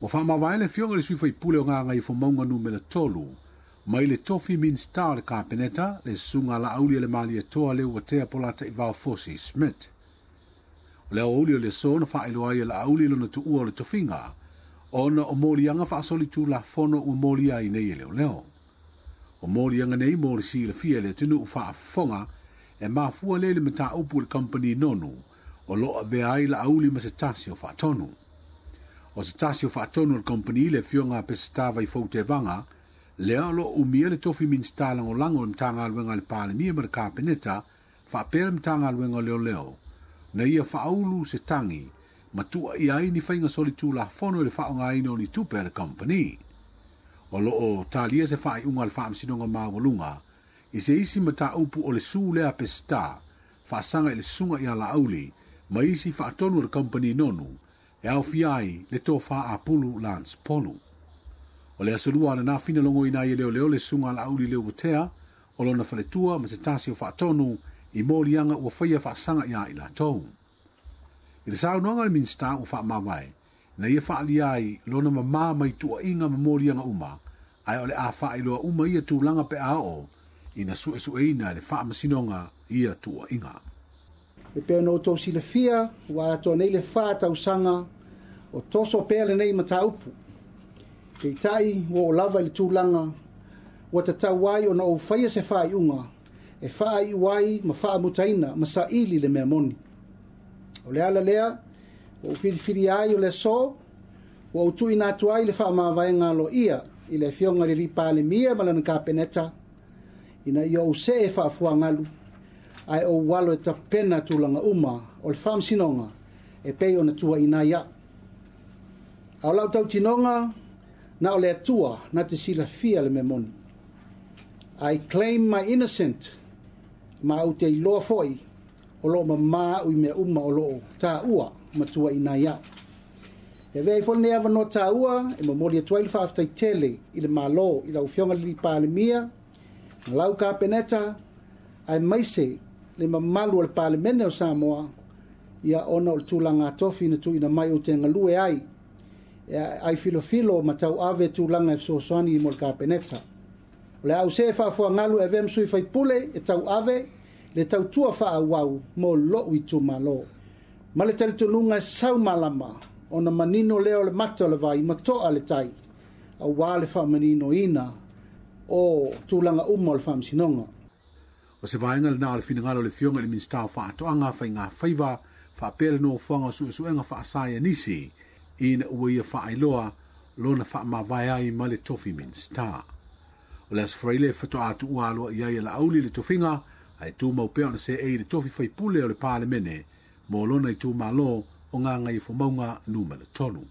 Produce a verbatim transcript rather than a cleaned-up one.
Ua faamavae le Afioga i le Sui Faipule o Gagaifomauga Numera tolu, mai le tofi Minisita o le Kapeneta, le Susuga Laaulialemalietoa Leuatea Polataivao Fosi Smith. O le aoauli o le aso na faailoa ai e Laauli lona tuua o le tofiga, ona o moliaga faasolitulafono ua molia ai nei e leoleo. O moliaga nei mo le silafia e le atunuu faafofoga e mafua lea i le mataupu i le kamupani nonu o lo o avea ai Laauli ma se tasi o faatonu. O se tasi o faatonu o le kamupani le Afioga a Peseta Vaifou Tevaga, lea o lo o umia le tofi Minisita Lagolago o le Matagaluega a le Palemia ma le Kapeneta, faapea le Matagaluega o Leoleo, na ia faaulu se tagi ma tuuaia ai ni faiga solitulafono i le faaaogaina o ni tupe a le kamupani. O lo o talia se faaiuga a le Faamasinoga Maualuga i se isi mataupu o le su lea a Peseta faasaga i le susuga ia Laauli ma isi faatonu o le kamupani nonu e aofia ai le tofa Apulu Lance Polu. O le aso lua ananafi na logoina ai e leoleo le susuga a Laauli Leuatea o lona faletua ma se tasi o faatonu i moliaga ua faia faasaga ia i latou. I le saunoaga a le Minisita ua faamavae, na ia faaalia ai lona mamā mai tuuaiga ma moliaga uma, ae o le a faailoa uma ia tulaga pe a oo ina suesueina e le Faamasinoga ia tuuaiga. E pei ona outou silafia, ua atoa nei le fa tausaga o toso pea lenei mataupu. Peitai, ua oo lava i le tulaga ua tatau ai ona ou faia se faaiuga e faaiu ai ma faamutaina ma saili le mea moni. O le ala lea, ua ou filifilia ai o le aso, ua ou tuuina atu ai le faamavaega aloaia i le Afioga i le Palemia ma lana Kapeneta, ina ia ou see faafuagalu, ae ou alo e tapena tulaga uma o le faamasinoga e pei ona tuuaina ai au. A o lau tautinoga, na o le Atua na te silafia le mea moni. I claim my innocent, ma ou te iloa foi o loo mamā au i mea uma o loo taua ma tuuaina ai au. E avea ai foi lenei avanoa taua e momoli atu ai le faafetai tele i le Malo, i lau Afioga i le Palemia, ma lau Kapeneta, aemaise le mamalu o le Palemene o Samoa, ia ona o le tulaga tofi na tuuina mai ou te galue ai, e ai filofilo ma tauave tulaga e fesoasoani mo le Kapeneta. O le a ou see faafuagalu e avea ma sui faipule e tauave le tautua faaauau mo lou itumalo. Ma le talitonuga e sau malama, ona manino lea o le mata o le vai ma toa le tai, auā le faamaninoina o tulaga uma o le faamasinoga. O se vaega lena o le finagalo o le Afioga i le Minisita o Faatoaga Faiga Faiva faapea le nofoaga o suesuega faasaienisi ina ua ia faailoa lona faamavae ai ma le tofi Minisita. O le Aso Faraile faatoa tuua aloaia i ai e Laauli le tofiga, ae tumau pea ona seei le tofi faipule o le Palemene mo lona itumalo o Gagaifomauga Numera tolu.